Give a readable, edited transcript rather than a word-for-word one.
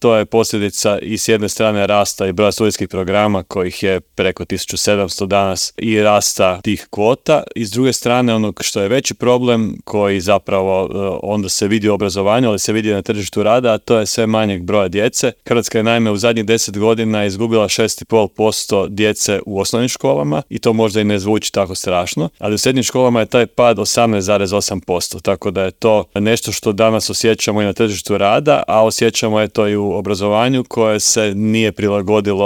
To je posljedica i s jedne strane rasta i broja studijskih programa kojih je preko 1700 danas i rasta tih kvota, i s druge strane onog što je veći problem koji zapravo onda se vidi u obrazovanju, ali se vidi na tržištu rada, a to je sve manjeg broja djece. Hrvatska je naime u zadnjih 10 godina izgubila 6,5% djece u osnovnim školama i to možda i ne zvuči tako strašno, ali u srednjim školama je taj pad 18,8%, tako da je to nešto što danas osjećamo i na tržištu rada, a osjećamo je to i u obrazovanju koje se nije prilagodilo